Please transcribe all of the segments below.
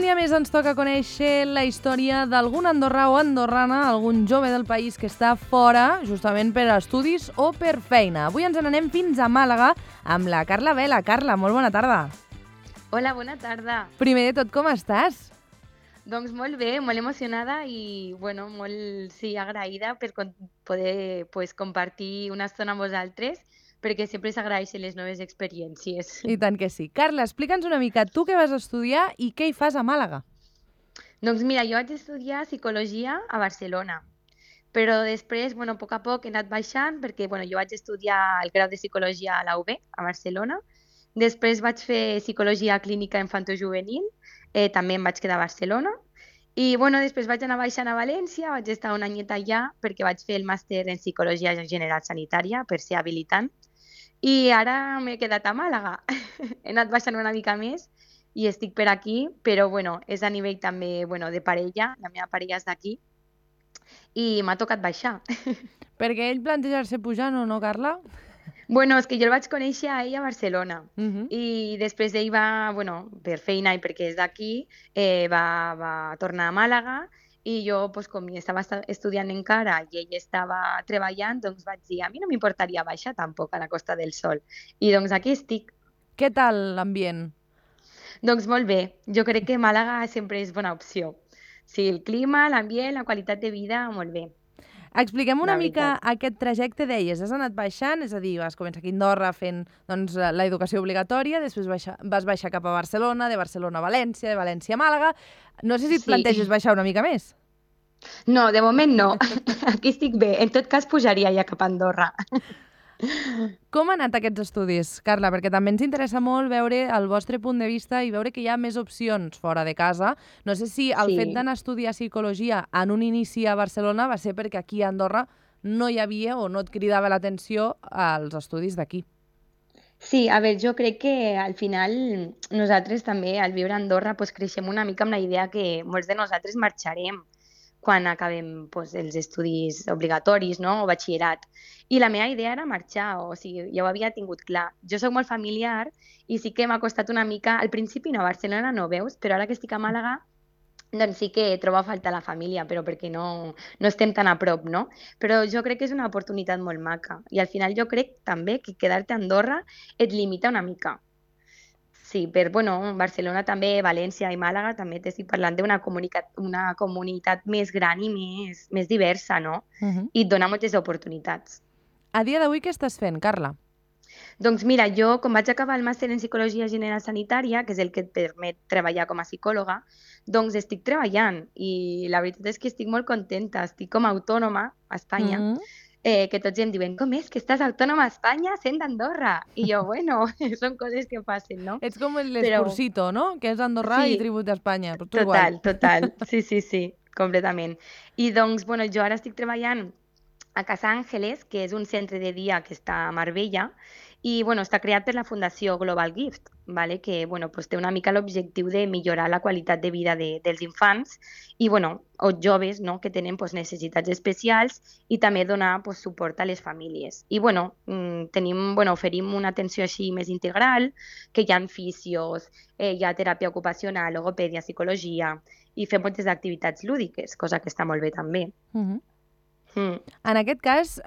dia més ens toca conèixer la història d'algun andorrà o andorrana, algun jove del país que està fora, justament per estudis o per feina. Avui ens n'anem fins a Màlaga amb la Carla Vela. Carla, molt bona tarda. Hola, bona tarda. Primer de tot, com estàs? Doncs molt bé, molt emocionada i molt agraïda per poder compartir una estona amb vosaltres, perquè sempre s'agraeixen les noves experiències. I tant que sí. Carla, explica'ns una mica tu què vas estudiar i què hi fas a Màlaga. Doncs mira, jo vaig estudiar psicologia a Barcelona, però després, a poc a poc he anat baixant perquè jo vaig estudiar el grau de psicologia a la UB, a Barcelona. Després vaig fer psicologia clínica infantojuvenil, també em vaig quedar a Barcelona. I després vaig anar baixant a València, vaig estar un anyet allà perquè vaig fer el màster en psicologia general sanitària per ser habilitant. I ara m'he quedat a Màlaga. He anat baixant una mica més i estic per aquí, però és a nivell també de parella. La meva parella és d'aquí i m'ha tocat baixar. Perquè ell plantejar-se pujar o no, Carla? És que jo el vaig conèixer a ell a Barcelona i després ell va, per feina i perquè és d'aquí, va tornar a Màlaga i jo, com estava estudiant encara i ell estava treballant, doncs vaig dir, a mi no m'importaria baixar tampoc a la Costa del Sol. I doncs aquí estic. Què tal l'ambient? Doncs molt bé. Jo crec que Màlaga sempre és bona opció. Sí, el clima, l'ambient, la qualitat de vida, molt bé. Expliquem una mica aquest trajecte, deies. Has anat baixant, és a dir, vas començar aquí a Andorra fent l'educació obligatòria, després vas baixar cap a Barcelona, de Barcelona a València, de València a Màlaga. No sé si et planteges baixar una mica més. No, de moment no. Aquí estic bé. En tot cas, pujaria ja cap a Andorra. Com han anat aquests estudis, Carla? Perquè també ens interessa molt veure el vostre punt de vista i veure que hi ha més opcions fora de casa. No sé si el fet d'anar a estudiar psicologia en un inici a Barcelona va ser perquè aquí a Andorra no hi havia o no et cridava l'atenció als estudis d'aquí. Sí, a veure, jo crec que al final nosaltres també, al viure a Andorra, creixem una mica amb la idea que molts de nosaltres marxarem quan acabem els estudis obligatoris, no? O batxillerat. I la meva idea era marxar, o sigui, ja ho havia tingut clar. Jo sóc molt familiar i sí que m'ha costat una mica, al principi no, a Barcelona no veus, però ara que estic a Màlaga, doncs sí que trobo a faltar la família, però perquè no estem tan a prop, no? Però jo crec que és una oportunitat molt maca. I al final jo crec també que quedar-te a Andorra et limita una mica. Sí, Barcelona també, València i Màlaga també t'estic parlant d'una comunitat més gran i més diversa, no? I et dona moltes oportunitats. A dia d'avui què estàs fent, Carla? Doncs mira, jo com vaig acabar el màster en psicologia general sanitària, que és el que et permet treballar com a psicòloga, doncs estic treballant i la veritat és que estic molt contenta, estic com a autònoma a Espanya, que tots em diuen, com és que estàs autònoma a Espanya sent d'Andorra? I jo, són coses que passen, no? Ets com l'Escursito, no? Que és Andorrà i tribut d'Espanya. Total. Sí, completament. I doncs, jo ara estic treballant a Casa Àngeles, que és un centre de dia que està a Marbella, i està creat per la Fundació Global Gift, que té una mica l'objectiu de millorar la qualitat de vida dels infants i o joves, no? Que tenen necessitats especials i també donar suport a les famílies. I oferim una atenció així més integral, que hi ha fisios, hi ha teràpia ocupacional, logopèdia, psicologia, i fem moltes activitats lúdiques, cosa que està molt bé també. En aquest cas,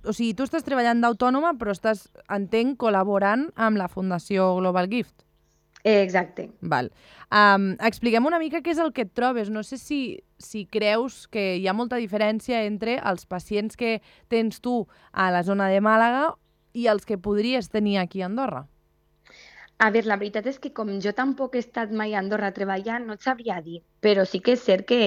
o sigui, tu estàs treballant d'autònoma, però estàs, entenc, col·laborant amb la Fundació Global Gift. Exacte. Val. Expliquem una mica què és el que et trobes. No sé si creus que hi ha molta diferència entre els pacients que tens tu a la zona de Màlaga i els que podries tenir aquí a Andorra. A veure, la veritat és que com jo tampoc he estat mai a Andorra treballant, no et sabria dir, però sí que és cert que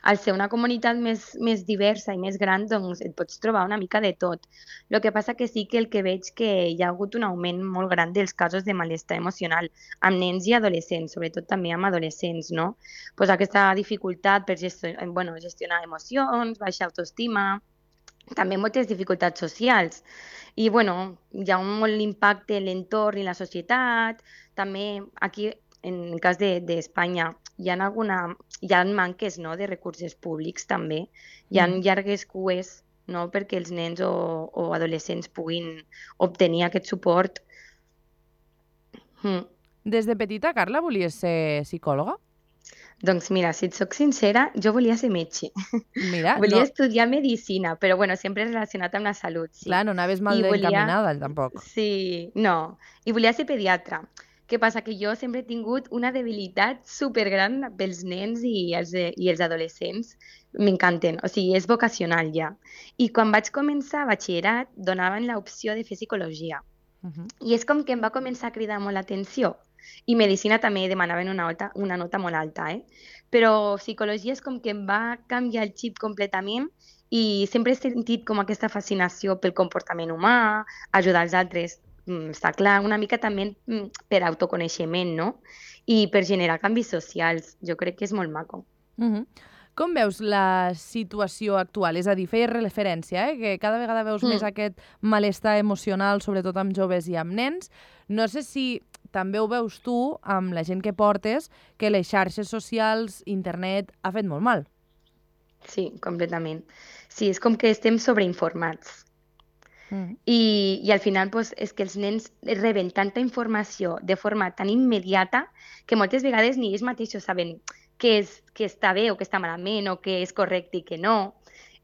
al ser una comunitat més diversa i més gran, doncs et pots trobar una mica de tot. El que passa que sí que el que veig que hi ha hagut un augment molt gran dels casos de malestar emocional amb nens i adolescents, sobretot també amb adolescents, no? Aquesta dificultat per gestionar emocions, baixa autoestima, també moltes dificultats socials. I hi ha molt impacte en l'entorn i la societat. També aquí, en el cas d'Espanya, hi ha manques, no?, de recursos públics també. Hi ha llargues cues, no?, perquè els nens o adolescents puguin obtenir aquest suport. Des de petita, Carla, volies ser psicòloga? Doncs mira, si et soc sincera, jo volia ser metge. Mira, Volia no, estudiar medicina, però bueno, sempre relacionat amb la salut, sí. clar, no anaves I mal volia... encaminada, tampoc. Sí, no. I volia ser pediatra. Què passa? Que jo sempre he tingut una debilitat supergran pels nens i els adolescents. M'encanten, o sigui, és vocacional ja. I quan vaig començar batxillerat, donaven l'opció de fer psicologia. Mhm. I és com que em va començar a cridar molt l'atenció. I medicina també demanaven una nota molt alta, Però psicologia és com que em va canviar el xip completament i sempre he sentit com aquesta fascinació pel comportament humà, ajudar els altres, està clar, una mica també per autoconeixement, no? I per generar canvis socials. Jo crec que és molt maco. Mhm. Com veus la situació actual? És a dir, feies referència, que cada vegada veus més Mm. aquest malestar emocional, sobretot amb joves i amb nens. No sé si també ho veus tu amb la gent que portes, que les xarxes socials, internet, ha fet molt mal. Sí, completament. Sí, és com que estem sobreinformats. Mm. I al final pues, és que els nens reben tanta informació de forma tan immediata que moltes vegades ni ells mateixos saben què està bé o què està malament o què és correcte i què no.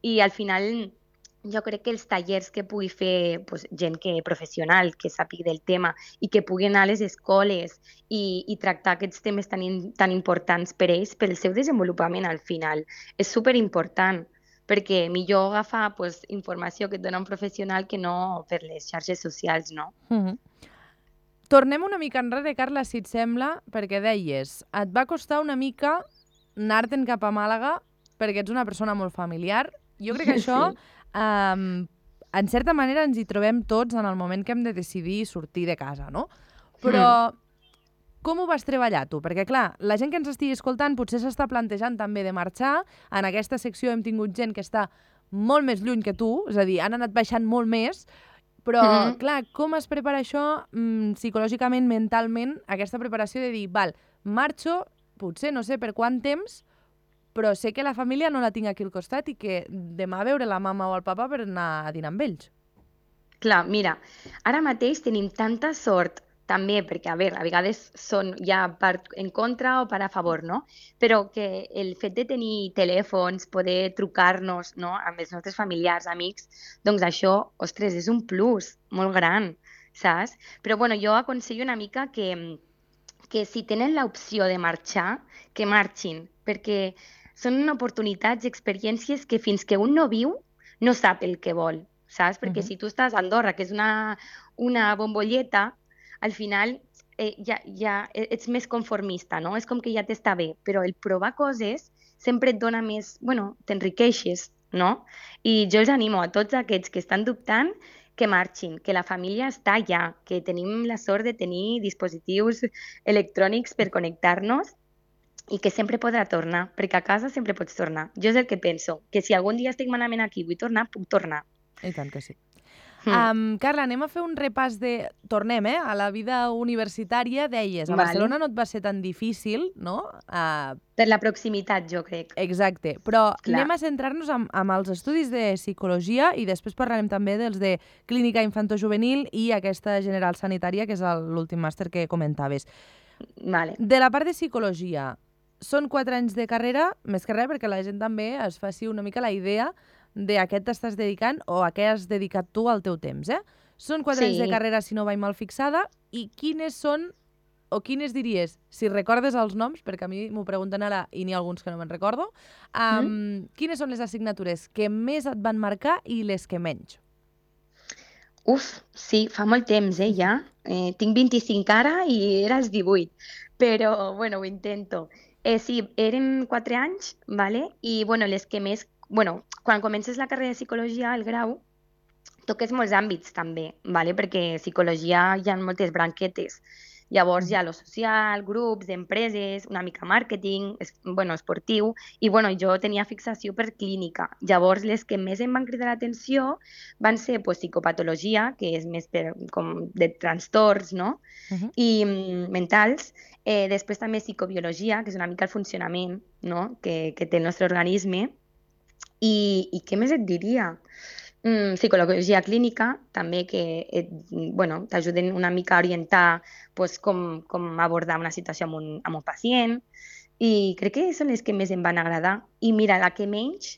I al final jo crec que els tallers que pugui fer pues, gent professional, que sàpiga del tema i que pugui anar a les escoles i tractar aquests temes tan importants per ells, pel seu desenvolupament al final, és superimportant perquè millor agafar pues, informació que et dona un professional que no per les xarxes socials, no? Mhm. Tornem una mica enrere, Carla, si et sembla, perquè deies, et va costar una mica anar-te'n cap a Màlaga perquè ets una persona molt familiar. Jo crec que això, Sí. en certa manera, ens hi trobem tots en el moment que hem de decidir sortir de casa, no? Però Mm. com ho vas treballar tu? Perquè, clar, la gent que ens estigui escoltant potser s'està plantejant també de marxar. En aquesta secció hem tingut gent que està molt més lluny que tu, és a dir, han anat baixant molt més, però, Mm. clar, com es prepara això psicològicament, mentalment, aquesta preparació de dir, val, marxo, potser no sé per quant temps, però sé que la família no la tinc aquí al costat i que demà veure la mama o el papa per anar a dinar amb ells. Clar, mira, ara mateix tenim tanta sort també, perquè a vegades són ja part en contra o part a favor, no? Però que el fet de tenir telèfons, poder trucar-nos, no?, amb els nostres familiars, amics, doncs això, ostres, és un plus molt gran, saps? Però bueno, jo aconsello una mica que si tenen l'opció de marxar, que marxin, perquè són oportunitats i experiències que fins que un no viu, no sap el que vol, saps? Perquè si tu estàs a Andorra, que és una bombolleta, al final ja ets més conformista, no? És com que ja t'està bé, però el provar coses sempre et dona més, bueno, t'enriqueixes, no? I jo els animo a tots aquests que estan dubtant que marxin, que la família està allà, que tenim la sort de tenir dispositius electrònics per connectar-nos i que sempre podrà tornar, perquè a casa sempre pots tornar. Jo és el que penso, que si algun dia estic malament aquí i vull tornar, puc tornar. I tant que sí. Mm. Carla, anem a fer un repàs de... Tornem, a la vida universitària. Deies, a Barcelona no et va ser tan difícil, no? Per la proximitat, jo crec. Exacte, però Clar. anem a centrar-nos amb els estudis de psicologia i després parlarem també dels de clínica infantojuvenil i aquesta general sanitària, que és l'últim màster que comentaves. Vale. De la part de psicologia, són 4 anys de carrera, més que res perquè la gent també es faci una mica la idea de a què t'estàs dedicant o a què has dedicat tu al teu temps, Són 4 anys de carrera, si no vaig mal fixada, i quines són, o quines diries, si recordes els noms, perquè a mi m'ho pregunten ara i n'hi ha alguns que no me'n recordo, quines són les assignatures que més et van marcar i les que menys? Uf, sí, fa molt temps, ja. Tinc 25 ara i era als 18, però, bueno, ho intento. Sí, eren 4 anys, vale? I, bueno, les que més... Bueno, quan comences la carrera de psicologia, el grau, toques molts àmbits també, vale? Perquè psicologia hi ha moltes branquetes. Llavors hi ha lo social, grups, empreses, una mica màrqueting, bueno, esportiu, i bueno, jo tenia fixació per clínica. Llavors les que més em van cridar l'atenció van ser pues, psicopatologia, que és més com de trastorns, no? I mentals. Després també psicobiologia, que és una mica el funcionament, no?, que té el nostre organisme. I què més et diria? Psicologia clínica, també, que bueno, t'ajuden una mica a orientar pues, com abordar una situació amb un pacient. i crec que són les que més em van agradar. I mira, la que menys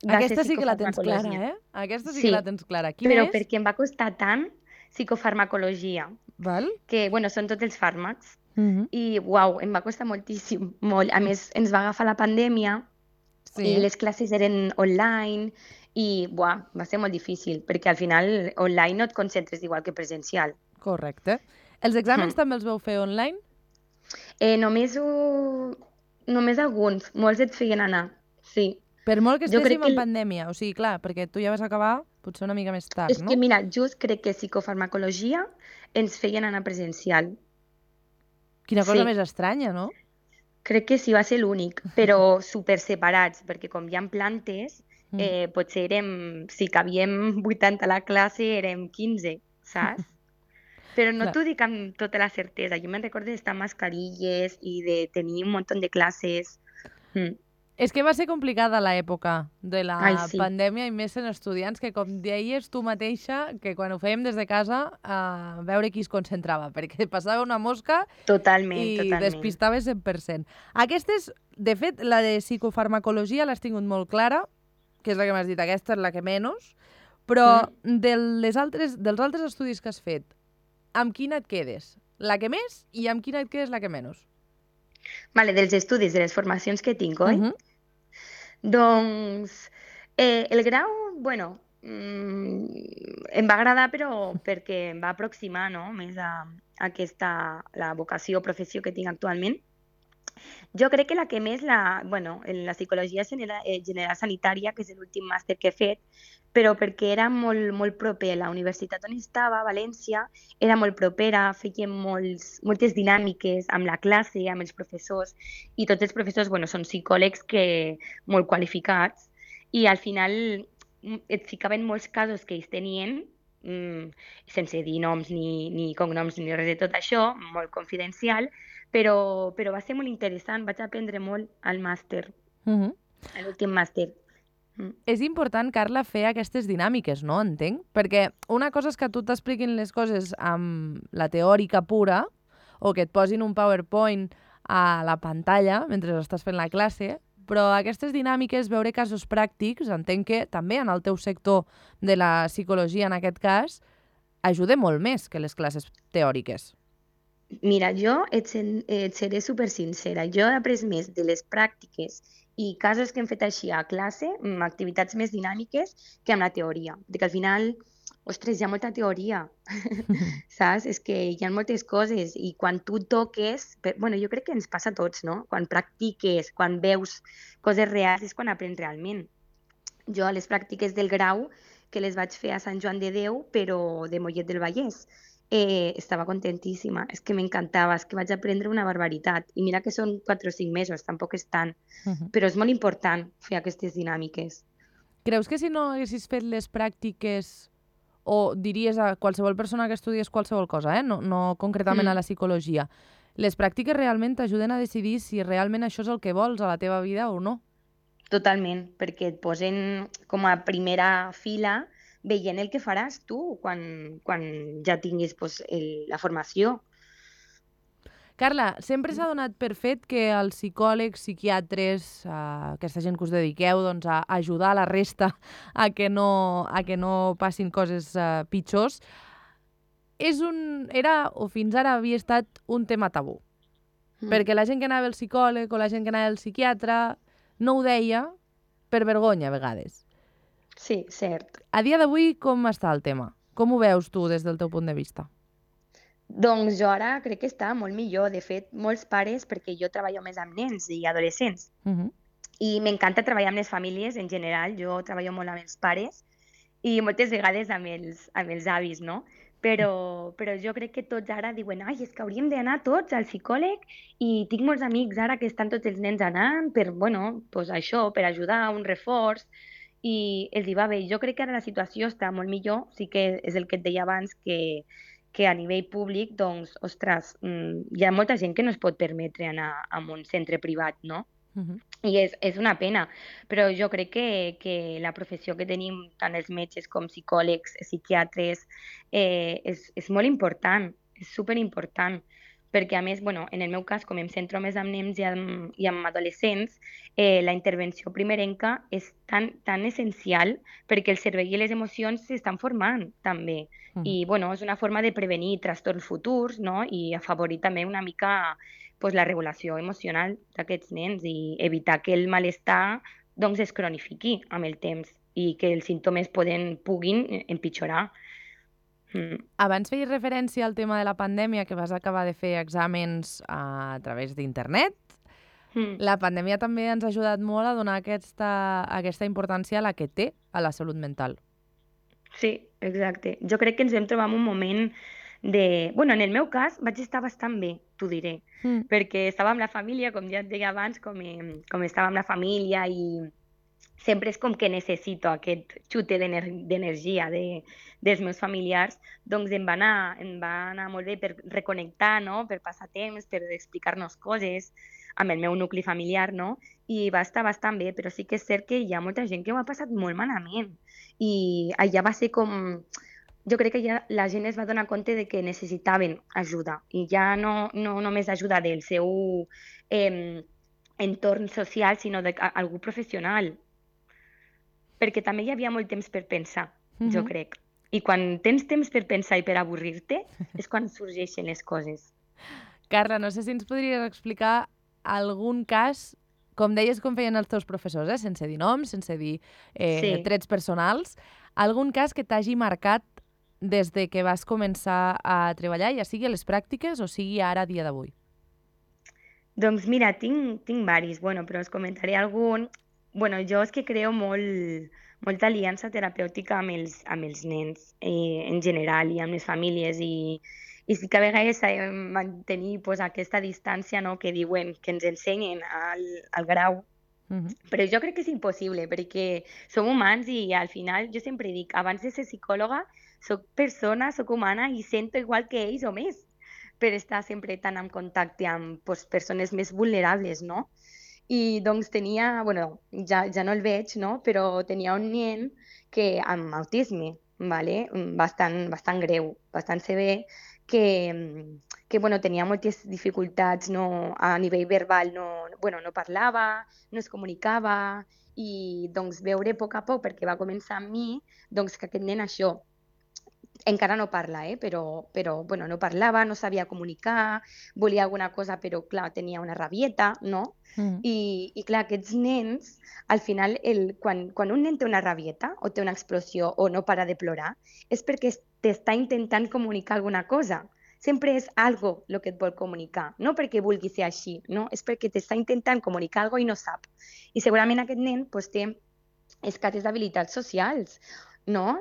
va ser Aquesta sí que la tens clara, psicofarmacologia. Aquesta sí que la Sí, tens clara. Quina però és? perquè em va costar tant psicofarmacologia, Val? que, bueno, són tots els fàrmacs, Mhm. i, uau, em va costar moltíssim, molt. A més, ens va agafar la pandèmia i Sí, les classes eren online i, buah, va ser molt difícil, perquè al final online no et concentres igual que presencial. correcte. Els exàmens també els vau fer online? Només només alguns, molts et feien anar, sí. Per molt que Jo crec estéssim que en pandèmia. O sigui, clar, perquè tu ja vas acabar potser una mica més tard, és que no? mira, just crec que psicofarmacologia ens feien anar presencial. Quina cosa Sí, més estranya, no? crec que sí, va ser l'únic, però super separats, perquè com hi ha plantes, Mm. potser si cabíem 80 a la classe, érem 15, saps? Però no Clar. t'ho dic amb tota la certesa. Jo me'n recordo d'estar amb mascarilles i de tenir un munt de classes. Mm. És que va ser complicada l'època de Ai, la sí, pandèmia i més en estudiants que, com deies tu mateixa, que quan ho fèiem des de casa, a veure qui es concentrava, perquè passava una mosca totalment, i totalment. despistava 100%. Aquestes, de fet, la de psicofarmacologia l'has tingut molt clara, que és la que m'has dit, aquesta és la que menys, però Mm. dels altres estudis que has fet, amb quina et quedes? La que més i amb quina et quedes la que menys? Vale, dels estudis, de les formacions que tinc, oi? Mhm. Doncs el grau, bueno, em va agradar però perquè em va aproximar, no?, més a la vocació o professió que tinc actualment. Jo crec que la que més, bueno, en la psicologia general sanitària, que és l'últim màster que he fet, però perquè era molt, molt proper. La universitat on estava, a València, era molt propera, fèiem moltes dinàmiques amb la classe, amb els professors, i tots els professors, bueno, són psicòlegs molt qualificats, i al final et ficaven molts casos que ells tenien, sense dir noms ni cognoms ni res de tot això, molt confidencial, però va ser molt interessant, vaig aprendre molt al màster, Mhm. a l'últim màster. Mm. És important, Carla, fer aquestes dinàmiques, no? Entenc? Perquè una cosa és que a tu t'expliquin les coses amb la teòrica pura o que et posin un PowerPoint a la pantalla mentre estàs fent la classe, però aquestes dinàmiques, veure casos pràctics, entenc que també en el teu sector de la psicologia, en aquest cas, ajuda molt més que les classes teòriques. Mira, jo et seré super sincera. Jo he après més de les pràctiques i casos que hem fet així a classe, activitats més dinàmiques, que amb la teoria. Perquè al final, ostres, hi ha molta teoria, saps? És que hi ha moltes coses i quan tu toques, bueno, jo crec que ens passa a tots, no? Quan practiques, quan veus coses reals és quan aprens realment. Jo a les pràctiques del grau, que les vaig fer a Sant Joan de Déu, però de Mollet del Vallès, estava contentíssima, és que m'encantava, és que vaig aprendre una barbaritat. I mira que són 4 o 5 mesos, tampoc és tant, Mhm. però és molt important fer aquestes dinàmiques. Creus que si no haguessis fet les pràctiques o diries a qualsevol persona que estudies qualsevol cosa, no concretament a Mm, la psicologia, les pràctiques realment t'ajuden a decidir si realment això és el que vols a la teva vida o no? totalment, perquè et posen com a primera fila veient el que faràs tu quan ja tinguis pues, la formació. Carla, sempre s'ha donat per fet que els psicòlegs, psiquiatres, aquesta gent que us dediqueu doncs, a ajudar la resta a que no passin coses pitjors, era, o fins ara havia estat un tema tabú. Mm. Perquè la gent que anava al psicòleg o la gent que anava al psiquiatre no ho deia per vergonya, a vegades. Sí, cert. A dia d'avui, com està el tema? Com ho veus tu des del teu punt de vista? Doncs jo ara crec que està molt millor. De fet, molts pares, perquè jo treballo més amb nens i adolescents, Mhm. i m'encanta treballar amb les famílies en general. Jo treballo molt amb els pares i moltes vegades amb els avis, no? Però jo crec que tots ara diuen ai, és que hauríem d'anar tots al psicòleg i tinc molts amics ara que estan tots els nens anant per, bueno, doncs això, per ajudar, un reforç, i els hi va bé. Jo crec que ara la situació està molt millor, sí que és el que et deia abans, que a nivell públic, doncs, ostres, hi ha molta gent que no es pot permetre anar a un centre privat, no? Mhm. I és una pena, però jo crec que la professió que tenim, tant els metges com psicòlegs, psiquiatres, és molt important, és superimportant, perquè a més, bueno, en el meu cas, com em centro més amb nens i amb adolescents, la intervenció primerenca és tan essencial perquè el cervell i les emocions s'estan formant també. Mhm. I bueno, és una forma de prevenir trastorns futurs, no? I afavorir també una mica pues, la regulació emocional d'aquests nens i evitar que el malestar doncs, es cronifiqui amb el temps i que els símptomes puguin empitjorar. Mm. Abans feies referència al tema de la pandèmia, que vas acabar de fer exàmens a través d'internet. Mm. La pandèmia també ens ha ajudat molt a donar aquesta importància a la que té a la salut mental. Sí, exacte. Jo crec que ens vam trobar en un moment de... Bueno, en el meu cas vaig estar bastant bé, t'ho diré, perquè estava amb la família, com ja et deia abans, com estava amb la família i sempre és com que necessito aquest xute d'energia dels meus familiars, doncs em va anar molt bé per reconnectar, no? Per passar temps, per explicar-nos coses amb el meu nucli familiar, no? I va estar bastant bé, però sí que és cert que hi ha molta gent que ho ha passat molt malament. I allà va ser com... Jo crec que ja la gent es va donar compte de que necessitaven ajuda i ja no només ajuda del seu entorn social, sinó d'algú professional, perquè també hi havia molt temps per pensar, jo crec. I quan tens temps per pensar i per avorrir-te és quan sorgeixen les coses. Carla, no sé si ens podries explicar algun cas, com deies com feien els teus professors, sense dir noms, sense dir Sí. trets personals, algun cas que t'hagi marcat des de que vas començar a treballar, ja sigui a les pràctiques o sigui ara, a dia d'avui? Doncs mira, tinc varis, bueno, però us comentaré algun. Bueno, jo és que creo molta aliança terapèutica amb els nens en general i amb les famílies i sí que a vegades mantenir pues, aquesta distància, no?, que diuen que ens ensenyen al grau, però jo crec que és impossible perquè som humans i al final jo sempre dic, abans de ser psicòloga soc persona, soc humana i sento igual que ells o més per estar sempre tan en contacte amb pues, persones més vulnerables, no? I doncs tenia, bueno, ja no el veig, no? Però tenia un nen que amb autisme, vale? Bastant greu, bastant sever, que bueno, tenia moltes dificultats, no, a nivell verbal, no parlava, no es comunicava, i doncs veure a poc, perquè va començar amb mi, doncs que aquest nen això encara no parla, però bueno, no parlava, no sabia comunicar, volia alguna cosa, però clar, tenia una rabieta, no? I clar, aquests nens, al final, quan un nen té una rabieta o té una explosió o no para de plorar, és perquè t'està intentant comunicar alguna cosa. Sempre és algo el que et vol comunicar, no perquè vulgui ser així, no? És perquè t'està intentant comunicar alguna cosa i no sap. I segurament aquest nen pues, té escasses habilitats socials, no?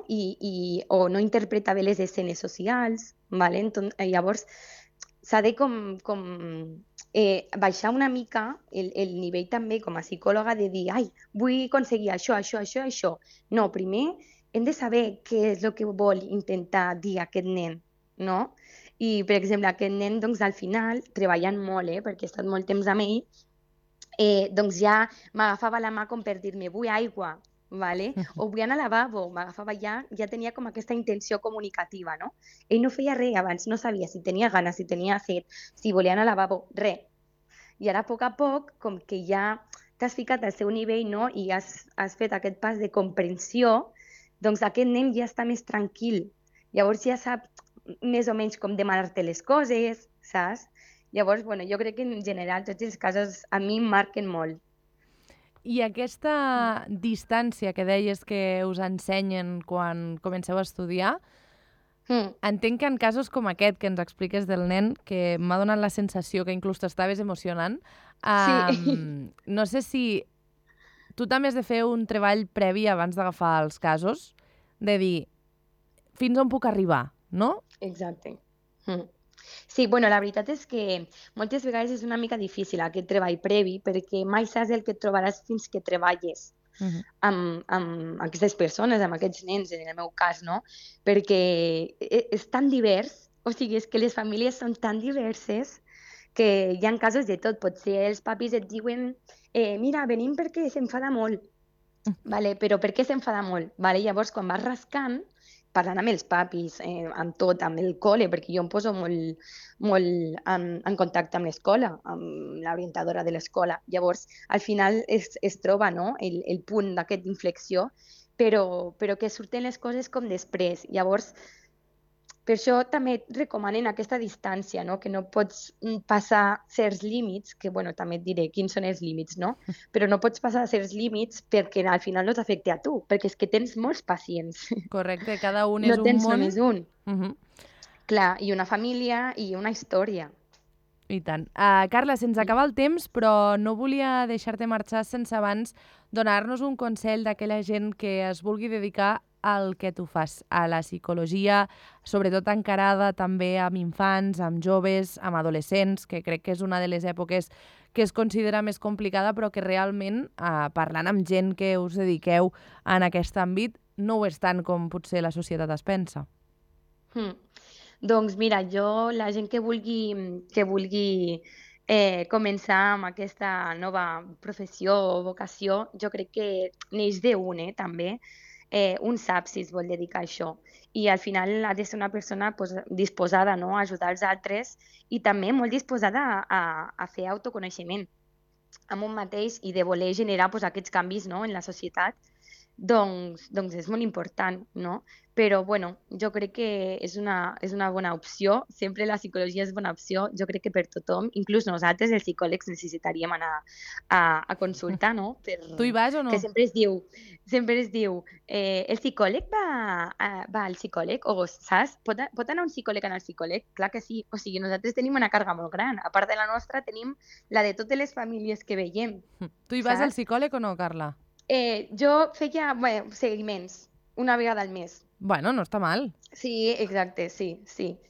O no interpreta bé les escenes socials, ¿vale? Llavors s'ha de baixar una mica el nivell també com a psicòloga de dir, ai, vull aconseguir això. No, primer hem de saber què és el que vol intentar dir aquest nen, no? I, per exemple, aquest nen, doncs, al final, treballant molt, perquè he estat molt temps amb ell, doncs ja m'agafava la mà com per dir-me, vull aigua, ¿vale? O vull anar al lavabo, m'agafava ja tenia com aquesta intenció comunicativa, no? Ell no feia res abans, no sabia si tenia gana, si tenia set, si volia anar al lavabo, res. I ara, a poc, com que ja t'has ficat al seu nivell, no?, i has fet aquest pas de comprensió, doncs aquest nen ja està més tranquil. Llavors ja sap més o menys com demanar-te les coses, saps? Llavors, bueno, jo crec que en general tots els casos a mi em marquen molt. I aquesta distància que deies que us ensenyen quan comenceu a estudiar, entenc que en casos com aquest que ens expliques del nen, que m'ha donat la sensació que inclús t'estaves emocionant, no sé si tu també has de fer un treball previ abans d'agafar els casos, de dir fins on puc arribar, no? Exacte. Sí, bueno, la veritat és que moltes vegades és una mica difícil aquest treball previ perquè mai saps el que et trobaràs fins que treballes amb aquestes persones, amb aquests nens, en el meu cas, no? Perquè és tan divers, o sigui, és que les famílies són tan diverses que hi ha casos de tot. Potser els papis et diuen mira, venim perquè s'enfada molt, vale? Però per què s'enfada molt? Vale? Llavors, quan vas rascant, parlant amb els papis, amb tot, amb el col·le, perquè jo em poso molt en contacte amb l'escola, amb l'orientadora de l'escola. Llavors, al final es troba, no?, el punt d'aquesta inflexió, però que surten les coses com després. Llavors, per això també recomanen aquesta distància, no?, que no pots passar certs límits, que bueno, també et diré quins són els límits, no? Però no pots passar certs límits perquè al final no t'afecti a tu, perquè és que tens molts pacients. Correcte, cada un No és un tens món. només un. Clar, i una família i una història. I tant. Carla, se'ns acaba el temps, però no volia deixar-te marxar sense abans donar-nos un consell d'aquella gent que es vulgui dedicar al que tu fas, a la psicologia, sobretot encarada també amb infants, amb joves, amb adolescents, que crec que és una de les èpoques que es considera més complicada, però que realment, parlant amb gent que us dediqueu en aquest àmbit, no ho és tant com potser la societat es pensa. Doncs mira, jo, la gent que vulgui començar amb aquesta nova professió o vocació, jo crec que neix d'un, també. Un sap si es vol dedicar a això. I al final ha de ser una persona disposada, no?, a ajudar els altres i també molt disposada a fer autoconeixement amb un mateix i de voler generar aquests canvis, no?, en la societat. Doncs és molt important, no? Però bueno, jo crec que és una bona opció. Sempre la psicologia és bona opció, jo crec que per tothom. Inclús nosaltres, els psicòlegs, necessitaríem anar a consultar, no? Tu hi vas o no? Que sempre es diu, el psicòleg va al psicòleg? O, saps? Pot anar un psicòleg al psicòleg? Clar que sí. O sigui, nosaltres tenim una càrrega molt gran. A part de la nostra, tenim la de totes les famílies que veiem. Tu hi vas al psicòleg o no, Carla? Jo feia seguiments, una vegada al mes. Bueno, no està mal. Sí, exacte, sí.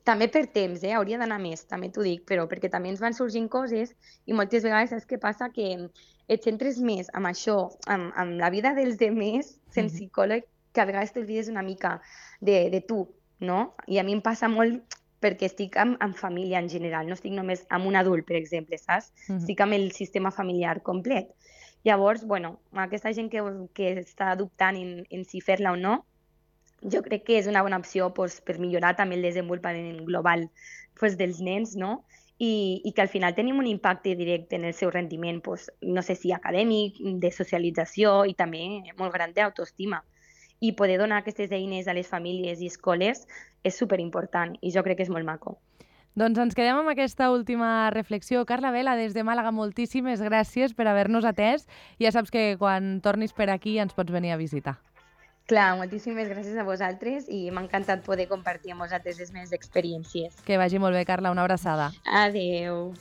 També per temps, hauria d'anar més, també t'ho dic, però perquè també ens van sorgint coses i moltes vegades saps què passa? Que et centres més amb això, amb la vida dels demés, sense psicòleg, que a vegades t'oblides una mica de tu, no? I a mi em passa molt perquè estic amb família en general, no estic només amb un adult, per exemple, saps? Estic amb el sistema familiar complet. Llavors, bueno, aquesta gent que està dubtant en si fer-la o no, jo crec que és una bona opció per millorar també el desenvolupament global dels nens, no? I que al final tenim un impacte directe en el seu rendiment, no sé si acadèmic, de socialització i també molt gran d'autoestima. I poder donar aquestes eines a les famílies i escoles és superimportant i jo crec que és molt maco. Doncs ens quedem amb aquesta última reflexió. Carla Vela, des de Màlaga, moltíssimes gràcies per haver-nos atès. Ja saps que quan tornis per aquí ens pots venir a visitar. Clar, moltíssimes gràcies a vosaltres i m'ha encantat poder compartir amb vosaltres les meves experiències. Que vagi molt bé, Carla. Una abraçada. Adeu.